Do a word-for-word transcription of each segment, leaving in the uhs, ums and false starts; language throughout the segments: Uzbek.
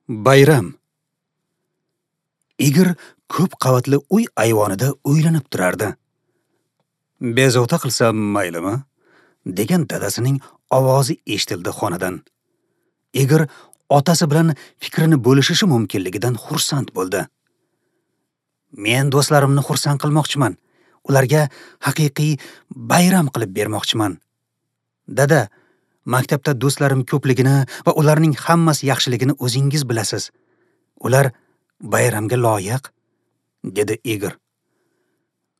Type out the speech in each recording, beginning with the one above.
Bayram. Igor ko'p qavatli uy ayvonida o'ylanib turardi. Bezovta qilsam maylimi? Degan dadasining ovozi eshitildi xonadan. Igor otasi bilan fikrini bo'lishishi mumkinligidan xursand bo'ldi. Men do'stlarimni xursand qilmoqchiman. Ularga haqiqiy bayram qilib bermoqchiman. Dada, maktabda do'stlarim ko'pligini va ularning hammasi yaxshiligini o'zingiz bilasiz. Ular bayramga loyiq, dedi Igor.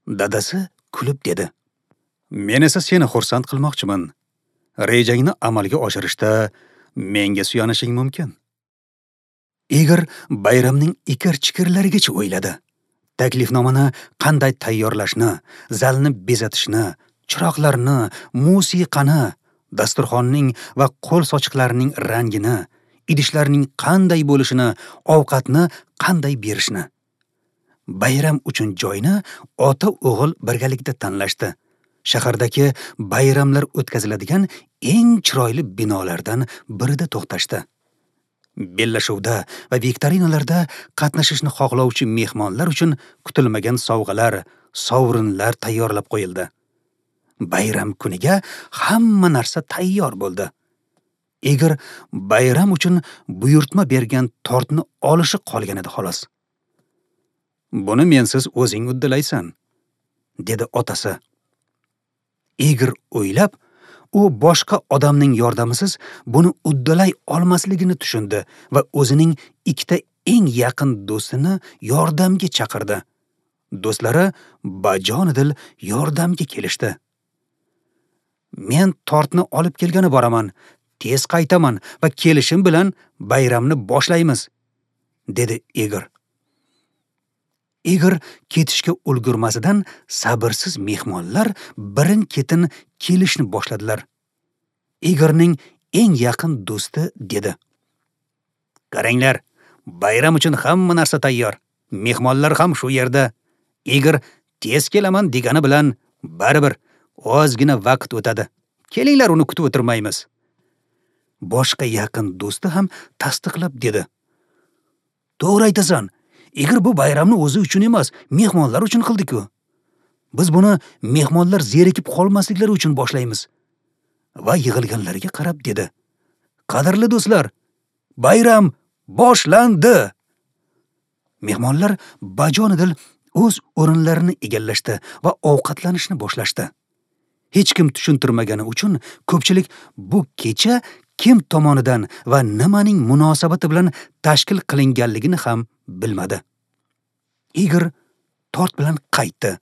Dadasi kulib dedi: Men esa seni xursand qilmoqchiman. Rejangni amalga oshirishda menga suyanishing mumkin. Igor bayramning ikir-chikirlarigacha o'yladi. Taklifnomani qanday tayyorlashni, zalni bezatishni, chiroqlarni, musiqani, dasturxonning va qo'l sochiqlarining rangini, idishlarning qanday bo'lishini, ovqatni qanday berishni. Bayram uchun joyni ota-o'g'il birgalikda tanlashdi. Shahardagi bayramlar o'tkaziladigan eng chiroyli binolardan birida to'xtashdi. Bellashuvda va viktorinalarda qatnashishni xohlovchi mehmonlar uchun kutilmagan sovg'alar, sovrinlar tayyorlab qo'yildi. Bayram kuniga hamma narsa tayyor bo'ldi. Igor bayram uchun buyurtma bergan tortni olishi qolgan edi xolos. Buni mensiz o'zing uddalaysan, dedi otasi. Igor o'ylab, u boshqa odamning yordamisiz buni uddalay olmasligini tushundi va o'zining ikkita eng yaqin do'stini yordamga chaqirdi. Do'stlari bajonidil yordamga kelishdi. Men tortni olib kelgani boraman, tez qaytaman va kelishim bilan bayramni boshlaymiz, dedi Igor. Igor ketishga ulgurmasidan sabrsiz mehmonlar birin-ketin kelishni boshladilar. Igorning eng yaqin do'sti dedi: Qaranglar, bayram uchun hamma narsa tayyor. Mehmonlar ham shu yerda. Igor tez kelaman degani bilan baribir ozgina vaqt o'tadi. Kelinglar, uni kutib o'tirmaymiz. Boshqa yaqin do'sti ham tasdiqlab dedi: To'g'ri aytasan. Igor bu bayramni o'zi uchun emas, mehmonlar uchun qildi-ku. Biz buni mehmonlar zerikib qolmasliklari uchun boshlaymiz. Va yig'ilganlarga qarab dedi: Qadrli do'stlar, bayram boshlandi. Mehmonlar bajonidil o'z o'rinlarini egallashdi va ovqatlanishni boshlashdi. Hech kim tushuntirmagani uchun ko'pchilik bu kecha kim tomonidan va nimaning munosabati bilan tashkil qilinganligini ham bilmadi. Igor tort bilan qaytdi.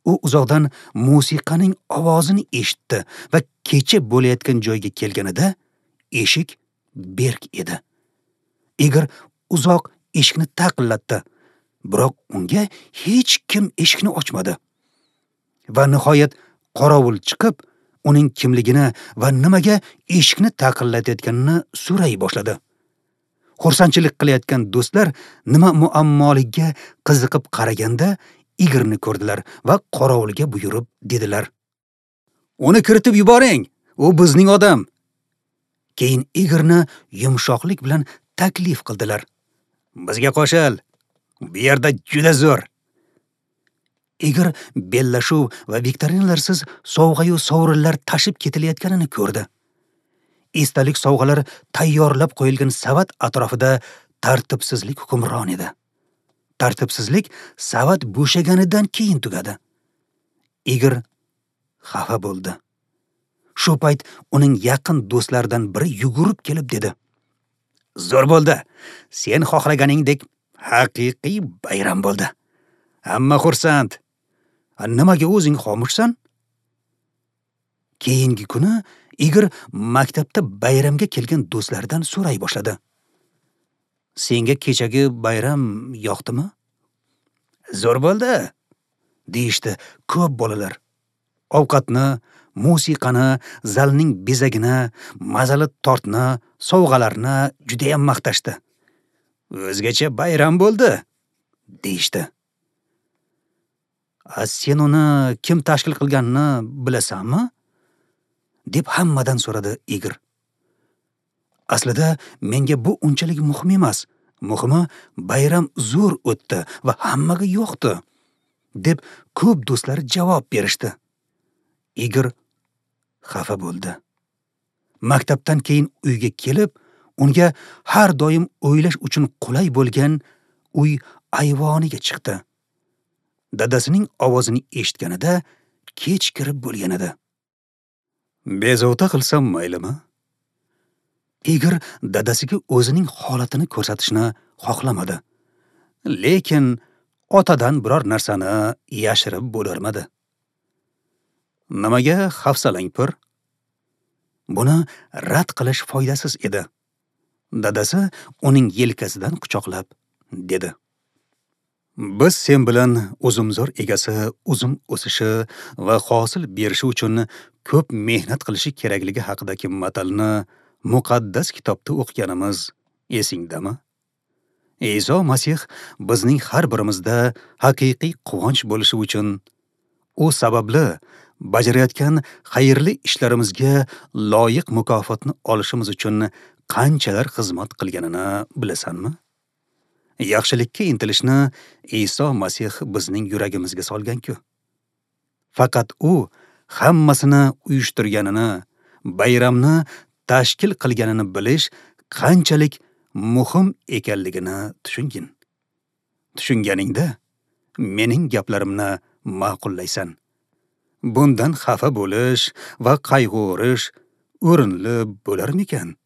U uzoqdan musiqaning ovozini eshitdi va kecha bo'layotgan joyga kelganida eshik berk edi. Igor uzoq eshikni taqillatdi, biroq unga hech kim eshikni ochmadi. Va nihoyat qorovul chiqib, uning kimligini va nimaga eshikni taqillatayotganini so'ray boshladi. Xursandchilik qilayotgan do'stlar nima muammoligiga qiziqib qaraganda Igorni ko'rdilar va qorovulga buyurib dedilar: Uni kiritib yuboring, u bizning odam. Keyin Igorni yumshoqlik bilan taklif qildilar: Bizga qo'shil, bu yerda juda zo'r. Igor bellashuv va viktorinalarsiz sovg'ayu sovrinlar tashib ketilayotganini ko'rdi. Esdalik sovg'alar tayyorlab qo'yilgan savat atrofida tartibsizlik hukmron edi. Tartibsizlik savat bo'shaganidan keyin tugadi. Igor xafa bo'ldi. Shu payt uning yaqin do'stlaridan biri yugurib kelib dedi: Zo'r bo'ldi. Sen xohlaganingdek haqiqiy bayram bo'ldi. Hamma xursand. Nimaga o'zing xomushsan? Keyingi kuni Igor maktabda bayramga kelgan do'stlaridan so'ray boshladi. Senga kechagi bayram yoqdimi? Zo'r bo'ldi, deyishdi ko'p bolalar. Ovqatni, musiqani, zalning bezagini, mazali tortni, sovg'alarni juda ham maqtashdi. O'zgacha bayram bo'ldi, deyishdi. A sen uni kim tashkil qilganini bilasanmi? Deb hammadan so'radi Igor. Aslida menga bu unchalik muhim emas, Muhimi, bayram zo'r o'tdi va hammaga yoqdi, deb ko'p do'stlari javob berishdi. Igor xafa bo'ldi. Maktabdan keyin uyga kelib, unga har doim o'ylash uchun qulay bo'lgan uy ayvoniga chiqdi. Dadasining ovozini eshitganida kech kirib bo'lgan edi. Bezovta qilsam maylimi? Igor dadasiga o'zining holatini ko'rsatishni xohlamadi. Lekin otadan biror narsani yashirib bo'larmadi. Nimaga hafsalang pir? Buni rad qilish foydasiz edi. Dadasi uning yelkasidan quchoqlab dedi: Biz sen bilan uzumzor egasi uzum o'sishi va hosil berishi uchun ko'p mehnat qilishi kerakligi haqidagi matalni muqaddas kitobda o'qiganimiz esingdami? Iso Masih bizning har birimizda haqiqiy quvonch bo'lishi uchun u sababli bajarayotgan xayrli ishlarimizga loyiq mukofotni olishimiz uchun qanchalar xizmat qilganini bilasanmi? Yaxshilikka intilishni Iso Masih bizning yuragimizga solgan-ku. Faqat u hammasini uyushtirganini, bayramni tashkil qilganini bilish qanchalik muhim ekanligini tushungin. Tushunganingda mening gaplarimni ma'qullaysan. Bundan xafa bo'lish va qayg'urish o'rinli bo'larmikan?